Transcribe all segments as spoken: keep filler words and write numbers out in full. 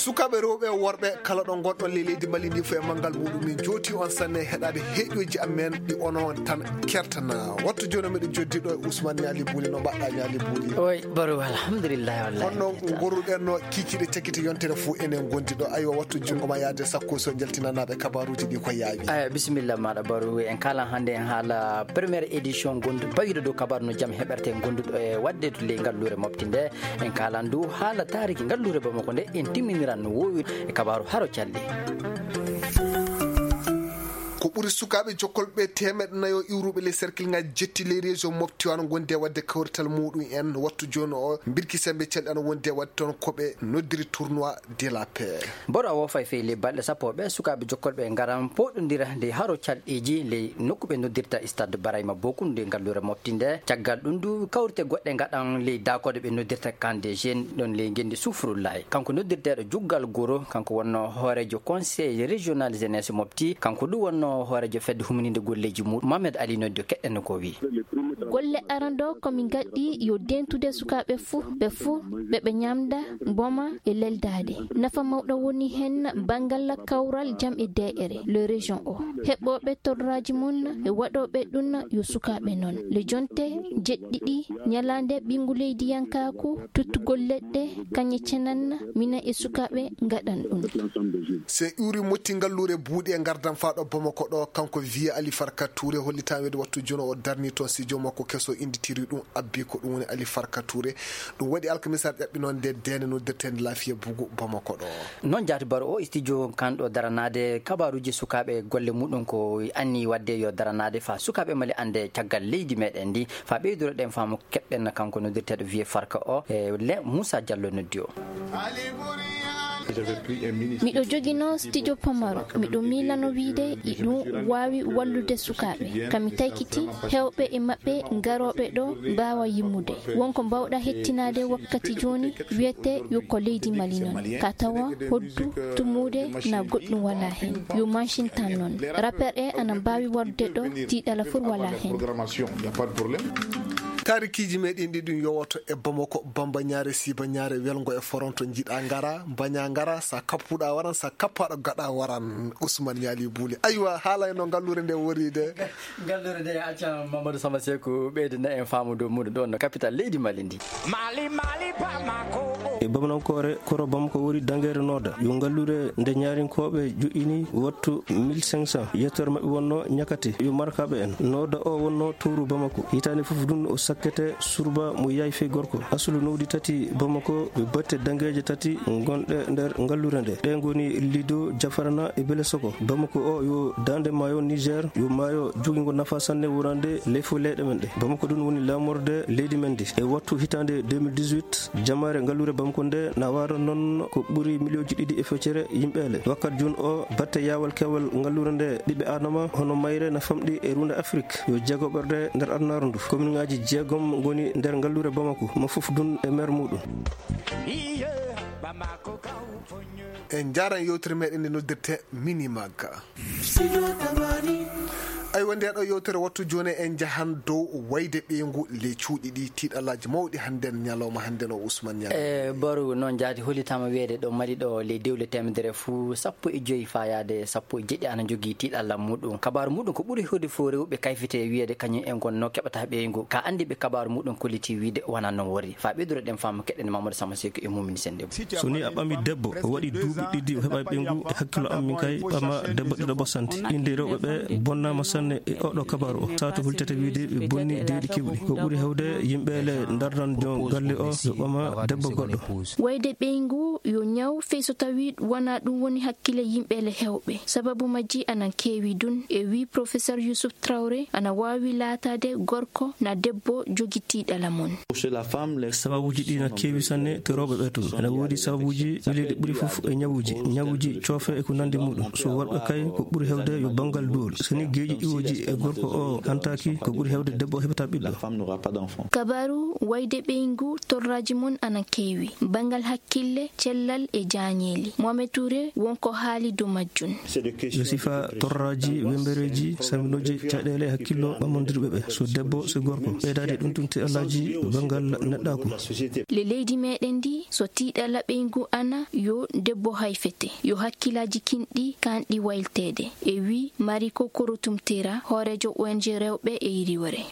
Sukaaɓe rewɓe e worɓe, kala ɗo ngonɗon ley leydi Mali ndi fof e manngal muɗum, min njooti on sanne heɗaade heɗoji amen ɗi onon tan kertana. Wattu jooni meɗen joddi ɗo e Ousmane Niali Bouli. No mbaɗɗa Niali Bouli? Oy, Baro, alhamdulillah, wallahi. Honno ngorruɗen no kiikiiɗe cakkite yontere fof enen ngondi ɗo? Aywa, wattu junngo ma yaade sakko so jaltinanaaɓe kabaruuji ɗi ko yaawi. Aya, bisimilla maɗa Baro. En kaalan hannde en haala première édition gondu bawiɗo dow kabaru no jam heɓerte gonduɗo e waɗde to ley ngalluure mofti nde. En kaalan du haala taariki ngalluure Bamako nde, en timminiran no woowiri e kabaaru haro calɗi. Ko ɓuri sukaaɓe jokkolɓe teemeɗɗe nayo iwruɓe ley cercle ngaji jetti ley région mofti wano gondi e waɗde kawrital muɗum en wattu jooni o, mbirki sembe calɗi ana wondi e waɗde toon ko ɓe noddiri tournoi de la paix. Boro a woofay fey ley balɗe sappo ɓe sukaaɓe jokkolɓe ngaran poɗondira nde haro calɗi ɗiji ley nokku ɓe noddirta Stade Barayma Bokum nde ngalluure mofti nde. Caggal ɗum du, kawrite goɗɗe ngaɗan ley daakoode ɓe noddirta Camp des Jeunes ɗon ley ngenndi Sufrullahi. Kanko noddirteeɗo Juggal Goro, kanko wonno hooreejo Conseil Régional Jeunesse Mofti, kanko du wonno hooreejo fedde humininde golleeji muɗum. Mohamed Ali noddi o, keɗɗen no ko o wi'i. Golle aranɗo ko min ngaɗɗi yo dentude sukaaɓe fuu, ɓe fuu ɓe ɓe ñamda, mboma e leldaade. Nafa mawɗo woni heen banngal kawral jam e deeƴere, le région o. Heɓɓooɓe torraaji mum e waɗooɓe ɗum yo sukaaɓe noon. Le jonte jeɗɗiɗi ñalaande ɓinngu leydiyankaaku, tuttugol leɗɗe, kañe cenan, minen e sukaaɓe ngaɗan ɗum. Se iwri motti ngalluure buuɗi e ngardan faa ɗo Bamako ɗo, kanko Vieux Ali Farka Touré hollitaa weede wattu jono o darni toon si joom makko keso innditiri ɗum abbi ko ɗum woni Ali Farka Touré. Ɗum waɗi alkamisaare ƴaɓɓi noon nde deende noddirteende Lafiya Bugu Bamako ɗo. Noon jaati Baro o studio kan ɗo daranaade kabaaruuji sukaaɓe golle muɗum ko anni waɗde yo daranaade faa sukaaɓe Mali annde caggal leydi meɗen ndi faa ɓeydoro ɗen faamu keɓɗen kanko noddirteeɗo Vieux Farka o e le Moussa Diallo noddi o. Miɗo joginoo studio pamaro, miɗo miilano wiide iɗum waawi wallude sukaaɓe. Kami taykiti heewɓe e maɓɓe garooɓe ɗo mbaawa yimmude. Wonko mbaawɗa hettinaade wakkati jooni wiyete yo ko leydi Mali noon. Ka tawa hoddu, tumuude na goɗɗum walaa heen. Yo manchin tan noon. Rapper e ana mbaawi warde ɗo, tiiɗala fur walaa heen. Taarikiiji meɗen ɗi ɗum yowoto e Bamako, Bamba Ñaare, Siiba Ñaare, Welngo e Foronto, njiɗa ngara, mbaña ngara, sa kappuɗa waran, sa kappaɗo gaɗa waran. Ousmane Ñaali Buuli. Aywa, haala e no ngalluure nde wori de. Ngalluure nde acca Mamadou Samba Seku ɓeydana en faamu dow muɗum ɗon no capital leydi Mali ndi. Mali, Mali, Bamako. E Bamanankoore, koro Bamako woni dangeere nooda. Yo ngalluure nde ñaarinkooɓe joƴƴini wattu mille cinq cents. Yettoore maɓɓe wonno ñakate. Yo markaaɓe en. Nooda o wonno towru Bamako. Hitaande fof dun o sakkete surba mo yahi fey gorko. Asulu nowdi tati Bamako, ɓe batte dangeeje tati gonɗe nder ngalluure nde. Ɗe ngoni Lido, Jafarana e Belesoko. Bamako o yo daande maayo Niger, yo maayo jogingo nafa sanne wonande ley fof leyɗe men ɗe. Bamako ɗum woni laamorde leydi men ndi. E wattu hitaande deux mille dix-huit, jamaare ngalluure Bamako nde na waara noon ko ɓuri miliyonji ɗiɗi e feccere yimɓeele. Wakkati jooni o, batte yaawal keewal ngalluure nde ɓiɓɓe Aadama hono mayre na famɗi e ruunde Afrik. Yo jeegoɓerde nder adunaaru ndu. Kominŋaaji jeegom ngoni nder ngalluure Bamako, mo fof dun e meer muɗum. En njaaran yewtere meɗen nde noddirte Mini Magga. Aywa, nde ɗo yewtere wattu jooni en njahan dow wayde ɓeyngu ley cuuɗi ɗi, tiiɗalaaji mawɗi hannden ñalawma hannden o Ousmane Niang. E Baro, noon jaati hollitaama wiyeede ɗo Mali ɗo ley dewle teemedere fuu sappo e joyi faa yaade sappo e jeɗɗi ana jogii tiiɗalla muɗum. Kabaaru muɗum ko ɓuri heewde fof rewɓe kayfite e wiyeede kañum en ngonnoo keɓataa ɓeyngu. Ka anndiiɓe kabaaru muɗum kollitii wiide wonaa noon wori. Faa ɓeydude ɗen faamu keɗen Mamadou Samba Seku e Mumini Sennde. So ni a ɓami debbo, o waɗi duuɓi ɗiɗi, o heɓaay ɓeyngu, e hakkillo am min kay, ɓama debbo ɗiɗo ɓosante. Innde rewɓe ɓe bonnaama sanne e oɗo kabaaru o. Saatu hultete wiide ɓe bonni deeɗi keewɗi. Ko ɓuri heewde yimɓe le ndardan jon galle o, yo ɓama debbo goɗɗo. Wayde ɓeyngu yo ñaw, fey so tawi wonaa ɗum woni hakkille yimɓe le heewɓe. Sababu majji anan keewi dun, e wi Professeur Youssouf Traoré, ana waawi laataade gorko na debbo jogi tiiɗalla mun. Sababuuji ɗi na keewi sanne to rewɓe ɓe tun. Ena woodi sababuuji ɓileeɗi ɓuri fof e ñawuuji, ñawuuji coofe e ko nanndi muɗum. So worɓe kay, ko ɓuri heewde yo banngal duwol. So ni geeƴi iwooji e gorko o hantaaki, ko ɓuri heewde debbo o heɓataa ɓiɗɗo. Kabaaru wayde ɓeyngu torraaji mun ana keewi. Banngal hakkille, cell- cellal e jaañeeli. Mohamed Touré won ko haali dow majjum. Yo sifa torraaji, wembereeji, samminooji caɗeele e hakkillo ɓamondirɓe ɓe, so debbo, so gorko. Ɓeydaade ɗum tumti alaaji banngal neɗɗaaku. Le leydi meɗen ndi, so tiiɗala ɓeyngu ana, yo debbo hayfete, yo hakkilaaji kinɗi kanɗi waylteede. E wi Mariko Korotumtera, hooreejo O N G rewɓe e yiriwere.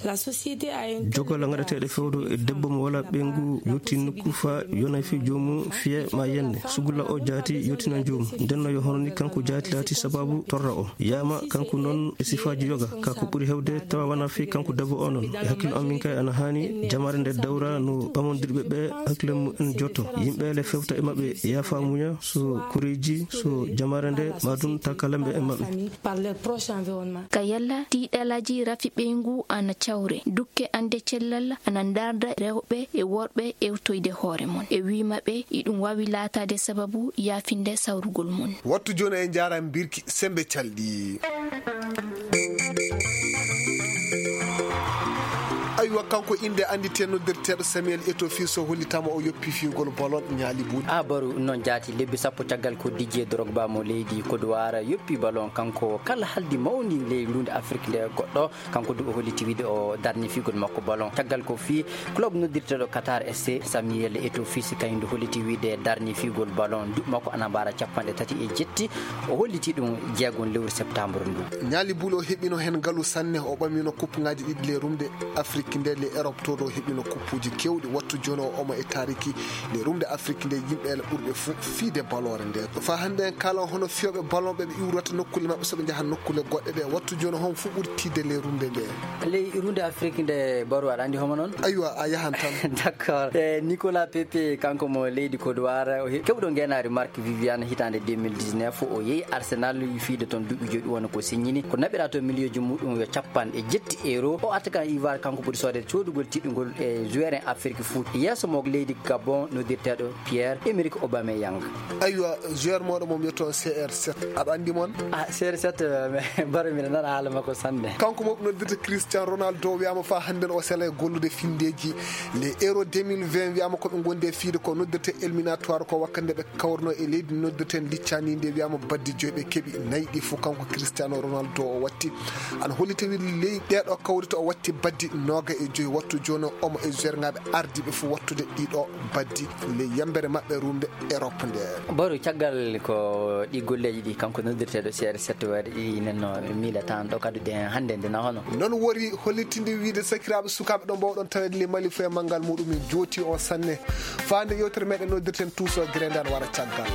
Jogal gaɗateeɗe fewdo e debbo mo wala ɓeyngu yotti nokku fa yonay fi joomum fiye ma yende. Sugulla o jaati yottina joomum. Ndenno yo hono ni kanko jaati laati sababu torra o. Yama kanko noon e sifaaji yoga. Ka ko ɓuri hewde tawa wana fi kanko debbo o noon. E hakkil on min kay ana haani jamaare nde dawra no ɓamondirɓe ɓe hakkile mum en jotto. Yimɓe le fewta e maɓɓe yaafa muña so koreeji, so jamaare nde, ma ɗum takalamɓe e maɓɓe. Ka yalla tiiɗalaaji rafi ɓeyngu ana cawre, dukke ande cellal ana ndarda rewɓe e worɓe ewtoyde hoore mon. E wi maɓɓe, iɗum waawi laataade sababu yaafinde sawrugol mon. Wattu jooni e njaara mbirki sembe calɗi. Aywa, kanko innde annditee noddirteeɗo Samuel Eto'o fii so hollitaama o yoppi fiyugol ballon ñaali buuɗi. A baru noon jaati lebbi sappo caggal ko Didier Drogba mo leydi Kodowar yoppi ballon kanko kala haldi mawni ley luunde Afrik nde goɗɗo, kanko du o holliti wiide o darni fiyugol makko ballon. Caggal ko fii club noddirteeɗo Qatar S C, Samuel Eto'o fii si kañum du holliti wiide darni fiyugol ballon. Duuɓi makko ana mbaara capanɗe tati e jetti. O holliti ɗum jeegon lewru septembre ndu. Ñaali buuɗi o heɓino heen ngalu sanne, o ɓamino kuppuŋaaji ɗiɗi ley rumde Afrik nde, ley Europe to ɗo o heɓino kuppuuji keewɗi. Wattu jooni o omo e taariki ley rumde Afrik nde yimɓe ele ɓurɓe fu fiide baloore nde. Faa hannde en kaalan hono fiyooɓe ballon ɓe ɓe iwrata nokkuule maɓɓe so ɓe njaha nokkuule goɗɗe ɗe. Wattu jooni hon fu ɓuri tiiɗde ley rumde nde. Ley rumde Afrik nde, Baro, aɗa anndi homo noon? Aywa, a yahan tan. D'accord. E Nicolas Pepe, kanko mo leydi Kodowar, o he-, keɓɗo ngeenaari Marc Vivian hitaande deux mille dix-neuf, o yehi Arsenal, fiide toon duuɓi joyi, ɗum woni ko signini. Ko naɓira toon miliyoji muɗum yo capanɗe jetti euro. O arta kan Ivoire, kanko ɓuri soodede coodugol tiɗɗungol e joueur en Afrique foot. Yeeso mo leydi Gabon, noddirteeɗo Pierre-Emerick Aubameyang. Aywa, joueur mooɗo mo mbiyetoo C R sept, aɗa anndi mon? Ah, C R sept, eh, Baro, mbiɗa nana haala makko sanne. Kanko mo noddirta Cristiano Ronaldo, wiyaama faa hannden o sela e gollude finndeeji. Les Euro deux mille vingt, wiyaama ko ɓe ngondi e fiide ko noddirta éliminatoire, ko wakkati nde ɓe kawrunoo e leydi noddirten Licaani nde, wiyaama baddi joyi ɓe keɓi, nayi ɗi fof kanko Cristiano Ronaldo o watti. Ana holliti wi ley ɗeeɗo kawrita o watti baddi nooga e joyi. Wattu jooni o omo e joueurŋaaɓe ardiiɓe fof wattude ɗiɗo baddi ley yambere maɓɓe rumde Europe nde. Baro, caggal ko ɗi golleeji ɗi kanko noddirteeɗo C R sept waɗi nenno miila tan ɗo kadi ɗen hannde nde na hono. Noon wori hollitinde wiide sakiraaɓe sukaaɓe ɗo mbawɗon taweede ley Mali fof e manngal muɗum jooti o sanne. Faande yewtere meɗen noddirten Tuuso Gere nde ana wara caggal.